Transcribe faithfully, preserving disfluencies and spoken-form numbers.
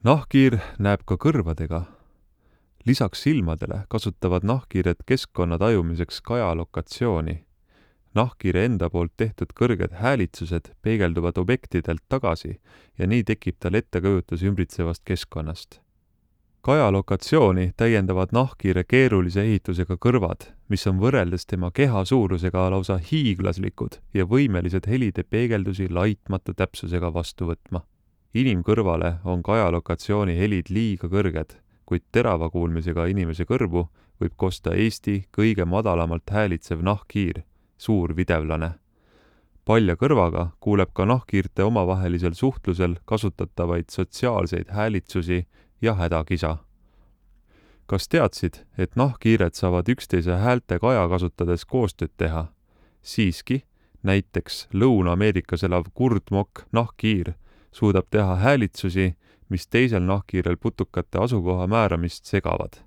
Nahkhiir näeb ka kõrvadega. Lisaks silmadele kasutavad nahkhiired keskkonna tajumiseks kajalokatsiooni. Nahkhiire enda poolt tehtud kõrged häälitsused peegelduvad objektidelt tagasi ja nii tekib tal ettekujutus ümbritsevast keskkonnast. Kajalokatsiooni täiendavad nahkhiire keerulise ehitusega kõrvad, mis on võrreldes tema keha suurusega lausa hiiglaslikud ja võimelised helide peegeldusi laitmatu täpsusega vastu võtma. Inimkõrvale on kajalokatsiooni helid liiga kõrged, kuid terava kuulmisega inimese kõrvu võib kosta Eesti kõige madalamalt häälitsev nahkhiir, suur videvlane. Palja kõrvaga kuuleb ka nahkhiirte omavahelisel suhtlusel kasutatavaid sotsiaalseid häälitsusi ja hädakisa. Kas teadsid, et nahkhiired saavad üksteise häälte kaja kasutades koostööd teha? Siiski, näiteks Lõuna-Ameerikas elav kurdmokk nahkhiir suudab teha häälitsusi, mis teisel nahkhiirel putukate asukoha määramist segavad.